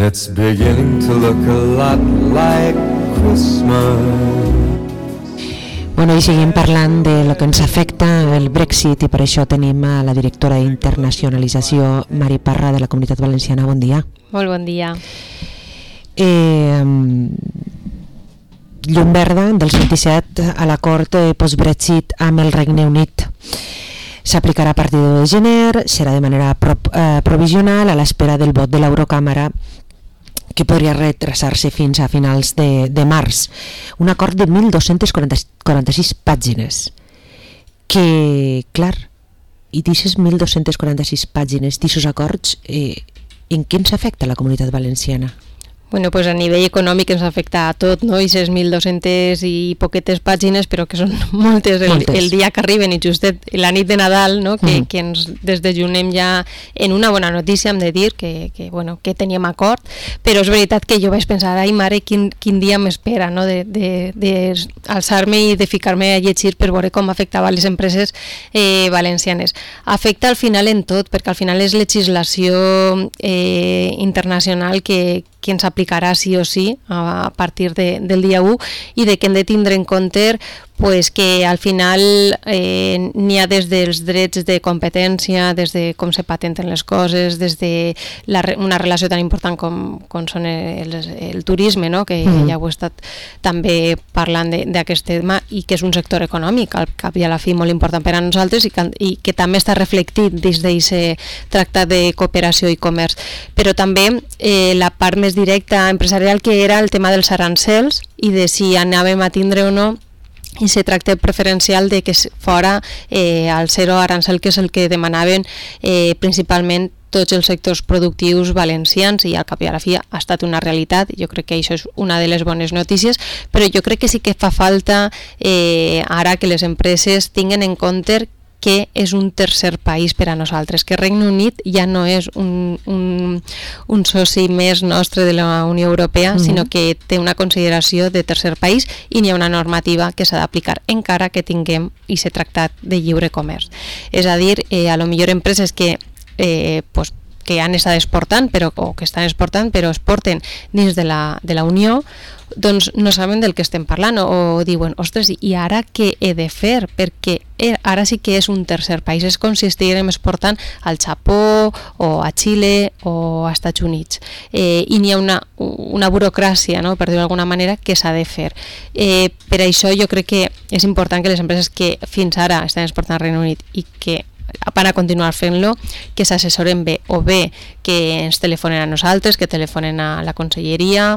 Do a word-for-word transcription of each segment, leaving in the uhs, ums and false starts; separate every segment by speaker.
Speaker 1: It's beginning to look a lot like Christmas.
Speaker 2: Bueno, i seguim parlant de lo que ens afecta el Brexit i per això tenim a la directora d'internacionalització Mari Parra de la Comunitat Valenciana. Bon dia.
Speaker 3: Molt bon dia.
Speaker 2: Eh, llum verda del vint-i-set a l'acord post-Brexit amb el Regne Unit. S'aplicarà a partir de gener, serà de manera pro, eh, provisional a l'espera del vot de l'Eurocàmera, que podria retrasar-se fins a finals de, de març. Un acord de mil dos-centes quaranta-sis pàgines, que, clar, i d'aquestes mil dos-centes quaranta-sis pàgines, d'aquests acords, eh, en què ens afecta la Comunitat Valenciana?
Speaker 3: Bueno, pues a nivell econòmic ens afecta a tot, no? I ses mil dos-centes i poquetes pàgines, però que són moltes el,
Speaker 2: moltes.
Speaker 3: el dia que arriben, i justet la nit de Nadal, no? Que,
Speaker 2: Mm.
Speaker 3: que ens desdejunem ja en una bona notícia, hem de dir, que, que, bueno, que teníem acord, però és veritat que jo vaig pensar, ai mare, quin, quin dia m'espera, no? De, de, de alçar-me i de ficar-me a llegir per veure com afectava les empreses eh, valencianes. Afecta al final en tot, perquè al final és legislació eh, internacional que, que ens aplicarà sí o sí a partir de, del dia u, i de que hem de tindre en compte pues que al final eh, n'hi ha des dels drets de competència, des de com se patenten les coses, des de la, una relació tan important com, com són el, el turisme, no? Que mm. ja ho he estat també parlant d'aquest tema, i que és un sector econòmic al cap i a la fi molt important per a nosaltres, i que, i que també està reflectit des d'aquest tractat de cooperació i comerç. Però també eh, la part més directa empresarial, que era el tema dels arancels i de si anàvem a tindre o no i se tracta preferencial de que fora eh, el zero arancel, que és el que demanaven eh, principalment tots els sectors productius valencians, i al cap i a la fi ha estat una realitat. Jo crec que això és una de les bones notícies, però jo crec que sí que fa falta eh, ara que les empreses tinguen en compte que és un tercer país per a nosaltres, que Regne Unit ja no és un, un, un soci més nostre de la Unió Europea, mm-hmm. sinó que té una consideració de tercer país, i n'hi ha una normativa que s'ha d'aplicar encara que tinguem aquest tractat de lliure comerç. És a dir, eh, a lo millor empreses que eh, pues, que han estat exportant, però, o que estan exportant, però exporten dins de la, de la Unió, doncs no saben del que estem parlant, o, o diuen, ostres, i ara què he de fer? Perquè ara sí que és un tercer país, és com si estiguem exportant al Japó, o a Xile, o als Estats Units. Eh, I n'hi ha una, una burocràcia, no?, per dir-ho d'alguna manera, que s'ha de fer. Eh, per això jo crec que és important que les empreses que fins ara estan exportant al Regne Unit i que van a continuar fent-lo, que s'assessoren bé, o bé que ens telefonen a nosaltres, que telefonen a la conselleria,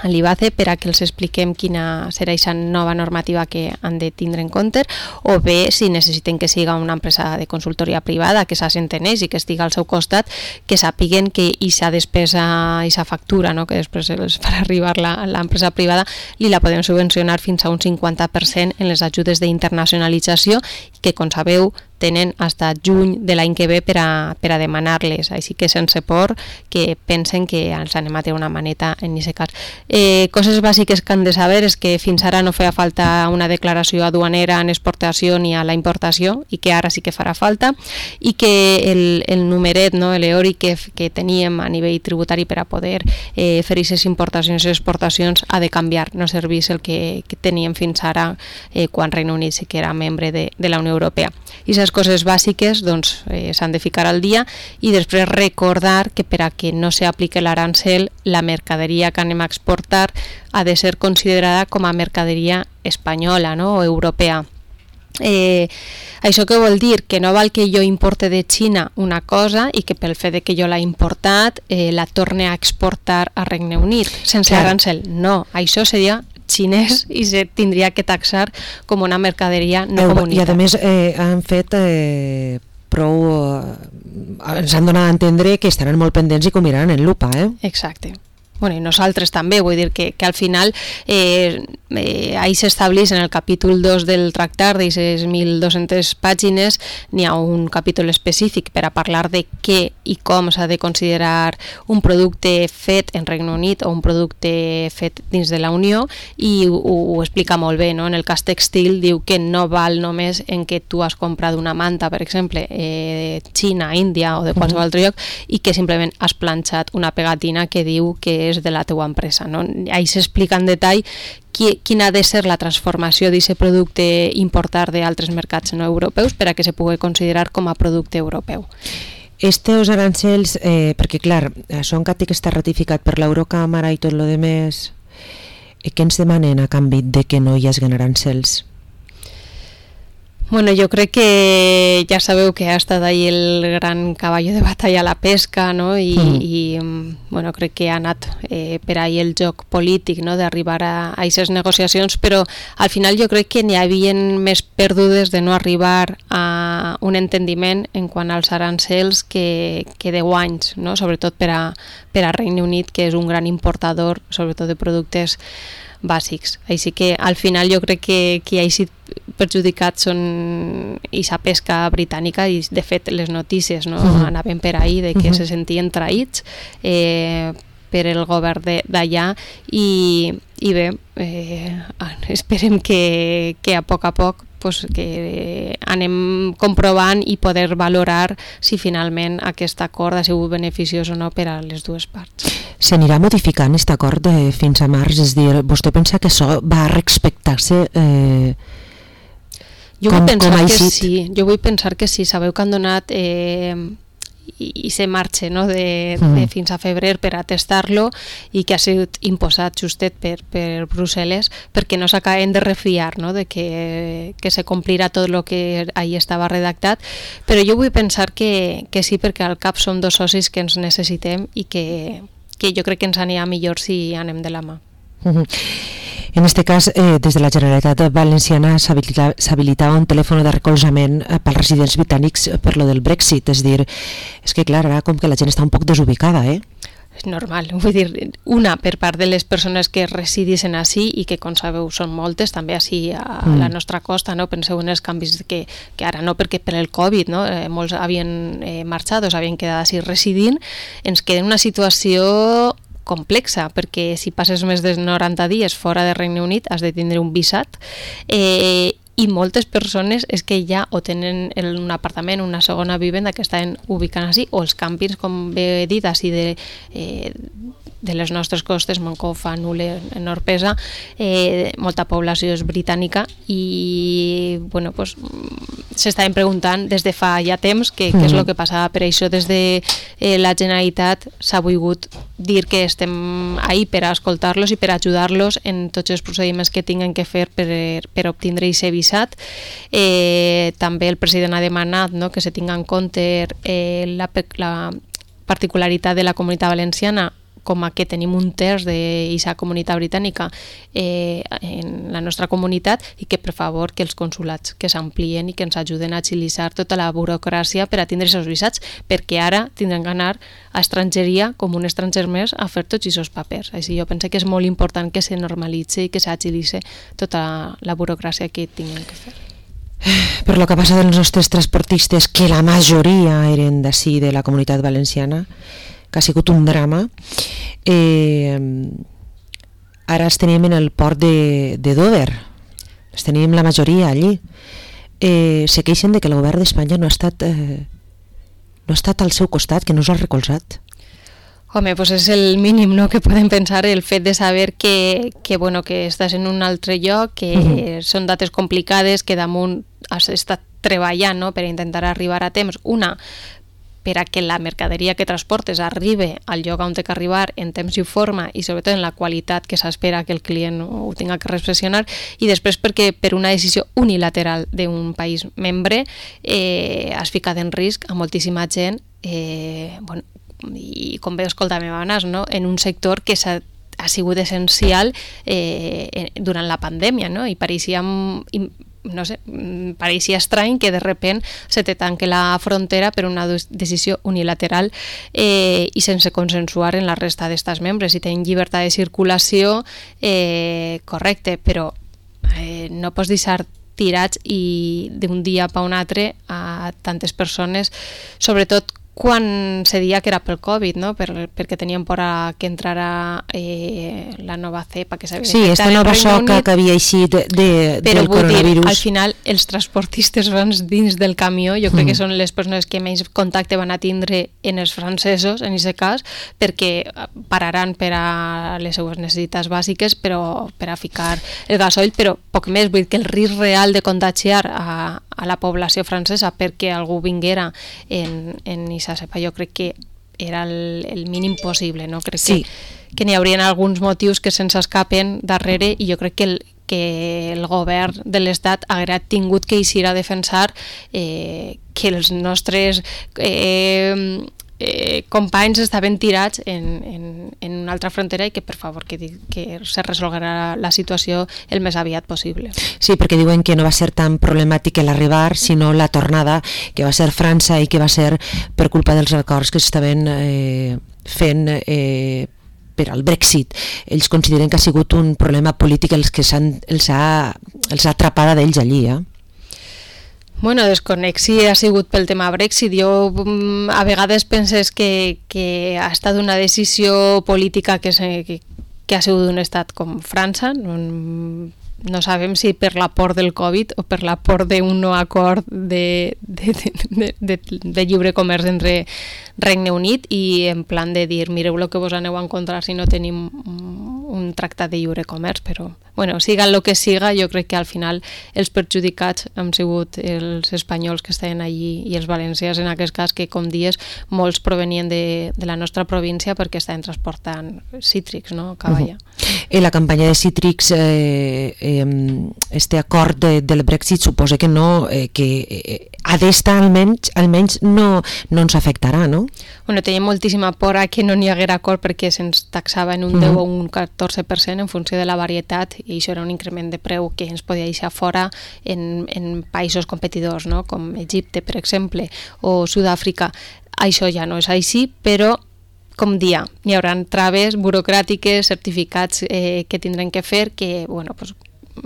Speaker 3: a l'I B A C E, per a que els expliquem quina serà aquesta nova normativa que han de tindre en compte, o bé, si necessiten que siga una empresa de consultoria privada que s'assenten ells i que estigui al seu costat, que sàpiguen que aquesta despesa, aquesta factura, no?, que després els farà arribar l'empresa privada, li la podem subvencionar fins a un cinquanta per cent en les ajudes d'internacionalització, que, com sabeu, tenen fins a juny de l'any que ve per a, per a demanar-les, així que sense por que pensen que ens anem a treure una maneta en aquest cas. Eh, coses bàsiques que han de saber és que fins ara no feia falta una declaració aduanera en exportació ni a la importació, i que ara sí que farà falta, i que el, el numeret, no, l'E O R I que, que teníem a nivell tributari per a poder eh, fer aquestes importacions i exportacions ha de canviar, no servís el que, que teníem fins ara eh, quan Regne Unit sí que era membre de, de la Unió Europea. I les coses bàsiques doncs, eh, s'han de ficar al dia, i després recordar que per a que no s'apliqui l'arancel, la mercaderia que anem a exportar ha de ser considerada com a mercaderia espanyola, no?, o europea. Eh, això què vol dir? Que no val que jo importe de Xina una cosa i que pel fet de que jo l'he importat eh, la torne a exportar a Regne Unit sense Clar. arancel. No, això seria xinès i se tindria que taxar com una mercaderia no comunitària.
Speaker 2: I a més eh, han fet eh, prou... Eh, ens han donat a entendre que estaran molt pendents i que ho miraran en lupa, eh?
Speaker 3: Exacte. Bueno, i nosaltres també, vull dir que, que al final eh, eh, ahí s'estableix en el capítol dos del tractat d'aquestes mil dos-centes pàgines, n'hi ha un capítol específic per a parlar de què i com s'ha de considerar un producte fet en Regne Unit o un producte fet dins de la Unió, i ho, ho explica molt bé, no? En el cas textil diu que no val només en què tu has comprat una manta, per exemple, eh, de Xina, Índia o de qualsevol altre lloc, i que simplement has planxat una pegatina que diu que és de la teua empresa, no? Ahí s'explica en detall qui, quina ha de ser la transformació d'aquest producte importar d'altres mercats no europeus per a que se pugui considerar com a producte europeu.
Speaker 2: Estos arancels, eh, perquè clar, això encara té que estar ratificat per l'Eurocàmara i tot lo demés, eh, què ens demanen a canvi de que no hi hagi arancels?
Speaker 3: Bueno, jo crec que ja sabeu que ha estat ahí el gran cavall de batalla a la pesca, no? I, mm. i bueno, crec que ha anat eh, per ahí el joc polític, no? D'arribar a aquestes negociacions, però al final jo crec que n'hi havia més perdudes de no arribar a un entendiment en quant als arancels que, que deu anys, no? Sobretot per a, per a Regne Unit, que és un gran importador, sobretot de productes bàsics. Així que al final jo crec que qui ha sigut perjudicat són aquesta pesca britànica, i de fet les notícies no, uh-huh. anaven per ahí de que uh-huh. se sentien traïts eh, per el govern d'allà, i, i bé, eh, esperem que, que a poc a poc pues, que anem comprovant i poder valorar si finalment aquest acord ha sigut beneficiós o no per a les dues parts.
Speaker 2: S'anirà modificant aquest acord eh, fins a març? És dir, vostè pensa que això va respectar-se eh,
Speaker 3: jo
Speaker 2: com,
Speaker 3: vull pensar
Speaker 2: com ha
Speaker 3: que
Speaker 2: eixit?
Speaker 3: sí, jo vull pensar que sí. Sabeu que han donat eh, i, i se marxa no, de, mm. de fins a febrer per a testar-lo, i que ha sigut imposat justet per, per Brussel·les, perquè no s'acaben de refiar no, de que, que se complirà tot el que ahí estava redactat, però jo vull pensar que, que sí, perquè al cap som dos socis que ens necessitem i que, que jo crec que ens anirà millor si anem de la mà.
Speaker 2: Uh-huh. En este cas, eh, des de la Generalitat Valenciana s'habilitava un telèfon de recolzament eh, pels residents britànics per lo del Brexit. És dir, és que clar, ara com que la gent està un poc desubicada, eh?
Speaker 3: És normal, vull dir, una per part de les persones que residissin ací i que, com sabeu, són moltes, també ací a mm. la nostra costa, no? Penseu en els canvis que, que ara no, perquè per el Covid, no? Eh, molts havien eh, marxat o s'havien quedat ací residint, ens queda en una situació complexa, perquè si passes més de noranta dies fora de Regne Unit has de tindre un visat, eh, i moltes persones és que ja o tenen un apartament, una segona vivenda que estan ubicant així, o els càmpings, com bé he dit, així de, eh, de les nostres costes, Moncofa, Nule, en Orpesa, eh, molta població és britànica, i bueno, pues, s'estaven preguntant des de fa ja temps què mm. és el que passava. Per això des de eh, la Generalitat s'ha volgut dir que estem ahí per a escoltar-los i per a ajudar-los en tots els procediments que tinguin que fer per, per obtindre aquest visat. Eh, també el president ha demanat no, que se tinga en compte eh, la, la particularitat de la Comunitat Valenciana, com a que tenim un terç d'aquesta comunitat britànica eh, en la nostra comunitat, i que per favor que els consulats que s'amplien i que ens ajuden a agilitzar tota la burocràcia per a tindre aquests visats, perquè ara tindran que anar a estrangeria com un estranger més a fer tots aquests papers. Així jo penso que és molt important que se normalitzi i que s'agilitzi tota la burocràcia que tinguin que fer.
Speaker 2: Per lo que passa dels nostres transportistes, que la majoria eren d'ací, de la Comunitat Valenciana, que ha sigut un drama, eh, ara els tenim en el port de, de Dover, els tenim la majoria allí, eh, se queixen de que el govern d'Espanya no ha estat eh, no ha estat al seu costat, que no us ha recolzat.
Speaker 3: Home, pues és el mínim no, que podem pensar, el fet de saber que, que, bueno, que estàs en un altre lloc, que uh-huh. són dates complicades, que damunt has estat treballant no, per intentar arribar a temps, una per a que la mercaderia que transportes arribi al lloc on té que arribar en temps i forma, i sobretot en la qualitat que s'espera que el client ho tinga que reflexionar, i després perquè per una decisió unilateral d'un país membre eh, has ficat en risc a moltíssima gent, eh, bueno, i com bé escoltàvem abans, no? En un sector que s'ha ha sigut essencial eh, durant la pandèmia, no? I pareixia no sé, pareixia estrany que de repent se te tanque la frontera per una decisió unilateral eh, i sense consensuar en la resta d'estats membres. Si tenen llibertat de circulació, eh, correcte, però eh, no pots deixar tirats i d'un dia per un altre a tantes persones, sobretot quan se dia que era pel Covid, no? Per, perquè tenien por a que entrara eh, la nova cepa que s'havia
Speaker 2: sí, esta nova soca que havia eixit de, de,
Speaker 3: però
Speaker 2: del coronavirus.
Speaker 3: Dir, al final els transportistes grans dins del camió jo crec mm. que són les persones que menys contacte van a tindre en els francesos en aquest cas, perquè pararan per a les seues necessitats bàsiques, però per a ficar el gasoil, però poc més, vull dir que el risc real de contagiar a, a la població francesa perquè algú vinguera en, en aquesta cepa, jo crec que era el, el mínim possible, no? Crec sí. que, que n'hi haurien alguns motius que se'ns escapen darrere i jo crec que el, que el govern de l'Estat haguera tingut que eixir a defensar eh, que els nostres eh, eh, companys estaven tirats en, en, en una altra frontera i que per favor que, que se resolguera la situació el més aviat possible.
Speaker 2: Sí, perquè diuen que no va ser tan problemàtic l'arribar, sinó la tornada, que va ser França i que va ser per culpa dels acords que s'estaven eh, fent eh, per al Brexit. Ells consideren que ha sigut un problema polític els que s'han, els ha, els ha atrapada d'ells allí, eh?
Speaker 3: Bueno, desconec si ha sigut pel tema Brexit. Jo a vegades penses que, que ha estat una decisió política que, se, que, que ha sigut d'un estat com França. No, no sabem si per la por del Covid o per la por d'un no acord de, de, de, de, de lliure comerç entre Regne Unit i en plan de dir mireu el que vos aneu a encontrar si no tenim un tractat de lliure comerç, però bueno, siga el que siga, jo crec que al final els perjudicats han sigut els espanyols que estaven allí i els valencians en aquest cas, que com dies molts provenien de, de la nostra província perquè estaven transportant cítrics, no? Cavalla.
Speaker 2: Uh-huh. En la campanya de cítrics eh, eh, este acord de, del Brexit suposa que no, eh, que eh, a d'esta almenys, almenys no, no ens afectarà, no?
Speaker 3: Bueno, tenim moltíssima por a que no n'hi haguera acord perquè se'ns taxava en un uh-huh. deu o un catorze per cent en funció de la varietat i això era un increment de preu que ens podia deixar fora en, en països competidors, no? Com Egipte, per exemple, o Sud-àfrica. Això ja no és així, però com dia, hi haurà traves burocràtiques, certificats eh, que tindrem que fer, que bueno, pues,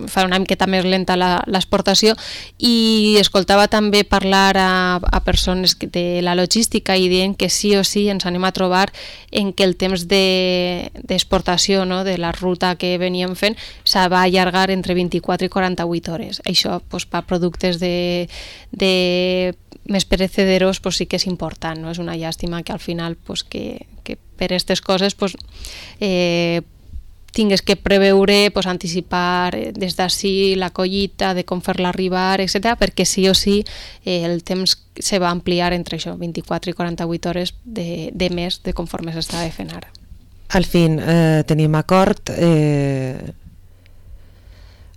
Speaker 3: fa una miqueta més lenta l'exportació, i escoltava també parlar a, a persones de la logística i dient que sí o sí ens anem a trobar en que el temps d'exportació, no, de la ruta que veníem fent se va allargar entre vint-i-quatre i quaranta-vuit hores. Això pues, per productes de, de més perecederos pues, sí que és important, no? És una llàstima que al final pues, que, que per aquestes coses pues, eh, tingues que preveure, pues, anticipar des d'ací la collita, de com fer-la arribar, etcètera, perquè sí o sí eh, el temps se va ampliar entre això, vint-i-quatre i quaranta-vuit hores de, de més de conforme s'estava fent ara.
Speaker 2: Al fin, eh, tenim acord, eh,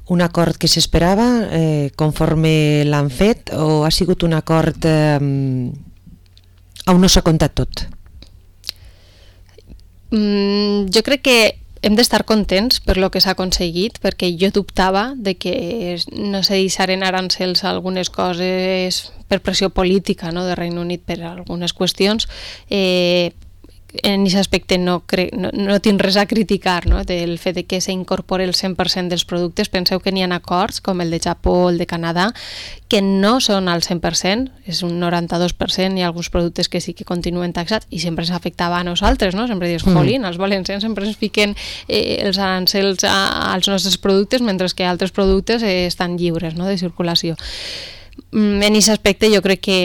Speaker 2: un acord que s'esperava eh, conforme l'han fet, o ha sigut un acord eh, on no s'ha comptat tot?
Speaker 3: Mm, jo crec que hem d'estar contents per lo que s'ha aconseguit, perquè jo dubtava de que no se deixaren arancels a algunes coses per pressió política, no, de Regne Unit per algunes qüestions. Eh, en aquest aspecte no, crec, no, no tinc res a criticar, no? Del fet de que s'incorpori el cent per cent dels productes. Penseu que n'hi ha acords, com el de Japó o el de Canadà, que no són al cent per cent, és un noranta-dos per cent, hi ha alguns productes que sí que continuen taxats i sempre s'afectava a nosaltres, no? Sempre dius, jolín, els valencians sempre ens fiquen eh, els arancels a, als nostres productes, mentre que altres productes eh, estan lliures, no? De circulació. En aquest aspecte jo crec que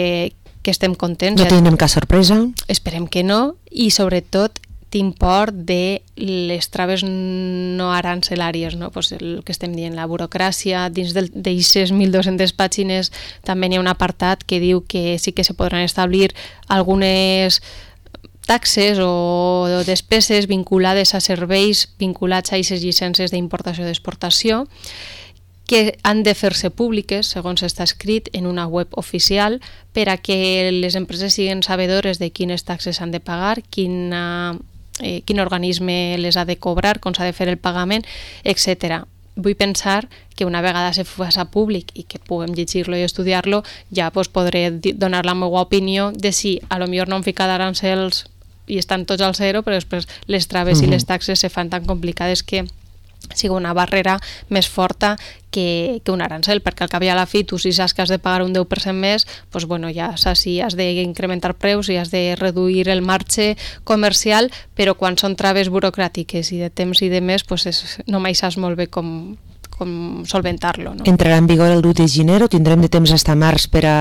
Speaker 3: que estem contents.
Speaker 2: No tenim cap sorpresa?
Speaker 3: Esperem que no, i sobretot t'import de les traves no arancelàries, no? Pues el que estem dient, la burocràcia, dins d'aquestes mil dues-centes pàgines també n'hi ha un apartat que diu que sí que se podran establir algunes taxes o despeses vinculades a serveis vinculats a aquestes llicències d'importació i d'exportació, que han de fer-se públiques, segons està escrit, en una web oficial, per a que les empreses siguin sabedores de quines taxes han de pagar, quina, eh, quin organisme les ha de cobrar, com s'ha de fer el pagament, etcètera. vull pensar que una vegada se faci públic i que puguem llegir-lo i estudiar-lo, ja pues, podré donar la meva opinió de si a lo millor no hem ficat arancels i estan tots al zero, però després les traves uh-huh. i les taxes se fan tan complicades que sigui una barrera més forta que, que un arancel, perquè al cap i a la fi tu si saps que has de pagar un deu per cent més, doncs, bueno, ja saps si has d'incrementar preus, si has de reduir el marge comercial, però quan són traves burocràtiques i de temps i de més, doncs és, no mai saps molt bé com, com solventar-lo. No?
Speaker 2: Entrarà en vigor el deu de gener o tindrem de temps fins a març per a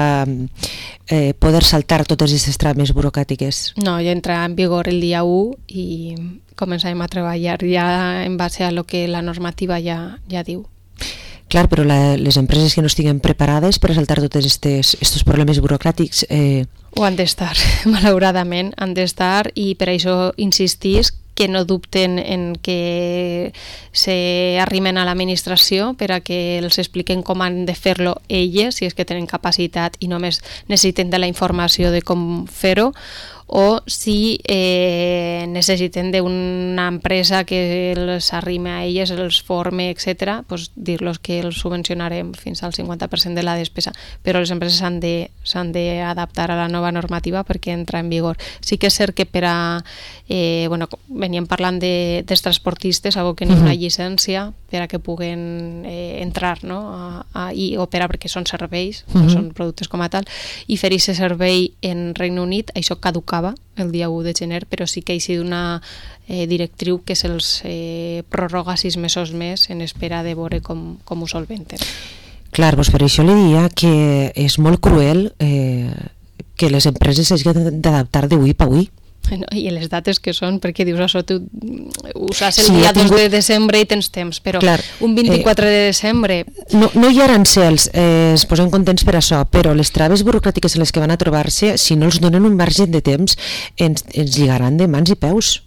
Speaker 2: eh, poder saltar totes aquestes traves burocràtiques?
Speaker 3: No, ja entrarà en vigor el dia u i començarem a treballar ja en base a lo que la normativa ja, ja diu.
Speaker 2: Clar, però la, les empreses que no estiguen preparades per a saltar tots aquests problemes burocràtics... Eh...
Speaker 3: Ho han d'estar, malauradament, han d'estar i per això insistís que no dubten en que s'arrimen a l'administració per a que els expliquen com han de fer-lo elles, si és que tenen capacitat i només necessiten de la informació de com fer-ho, o si eh, necessiten d'una empresa que els arrime a elles, els forme, etcètera, doncs dir-los que els subvencionarem fins al cinquanta per cent de la despesa. Però les empreses s'han de, s'han d'adaptar a la nova normativa perquè entra en vigor. Sí que és cert que per a... Eh, bueno, veníem parlant de, dels transportistes, algo que n'hi ha una llicència per a que puguen eh, entrar, no? a, a, i operar, perquè són serveis, uh-huh. no són productes com a tal, i fer aquest servei en Regne Unit, això caducava el dia u de gener, però sí que hi ha una eh, directriu que se'ls eh, prorroga sis mesos més en espera de veure com, com ho solventen.
Speaker 2: Clar, doncs per això li diria que és molt cruel eh, que les empreses s'hagin d'adaptar d'avui per avui.
Speaker 3: No, i les dates que són, perquè dius això, tu ho saps el sí, dia tingut... dos de desembre i tens temps, però clar, un vint-i-quatre eh, de desembre...
Speaker 2: No, no hi ha arancels, eh, es posen contents per això, però les traves burocràtiques en les que van a trobar-se, si no els donen un marge de temps, ens, ens lligaran de mans i peus.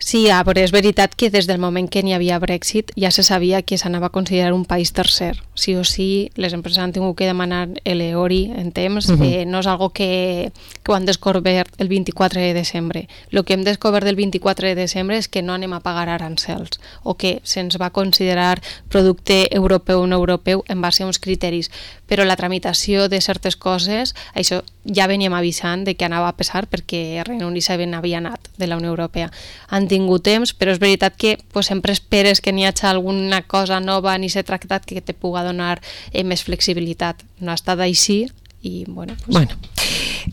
Speaker 3: Sí, ah, però és veritat que des del moment que n'hi havia Brexit ja se sabia que s'anava a considerar un país tercer. Sí o sí, les empreses han tingut que demanar l'E O R I en temps. Uh-huh. eh, no és algo que, que ho han descobert el vint-i-quatre de desembre. El que hem descobert el vint-i-quatre de desembre és que no anem a pagar arancels o que se'ns va considerar producte europeu o no europeu en base a uns criteris. Però la tramitació de certes coses, això ja veníem avisant de que anava a passar perquè el Regne Unit havia anat de la Unió Europea. Han tingut temps, però és veritat que pues, sempre esperes que n'hi hagi alguna cosa nova ni s'ha tractat que te puga donar eh, més flexibilitat. No ha estat així i bueno... Pues...
Speaker 2: bueno.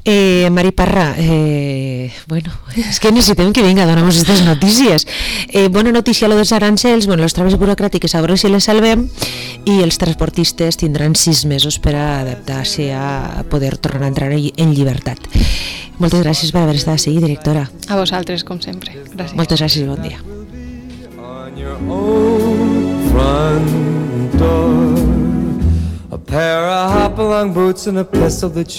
Speaker 2: Eh, Mari Parra, eh, bueno, és que necessitem que vinga a donar-nos aquestes notícies. Eh, bona notícia lo dels arancels, bueno, les traves burocràtiques a veure si les salvem i els transportistes tindran sis mesos per a adaptar-se a poder tornar a entrar en llibertat. Moltes gràcies per haver estat així, directora.
Speaker 3: A vosaltres, com sempre. Gràcies.
Speaker 2: Moltes gràcies i bon dia.
Speaker 1: On your own front door, a pair of hop-along boots and a pistol that you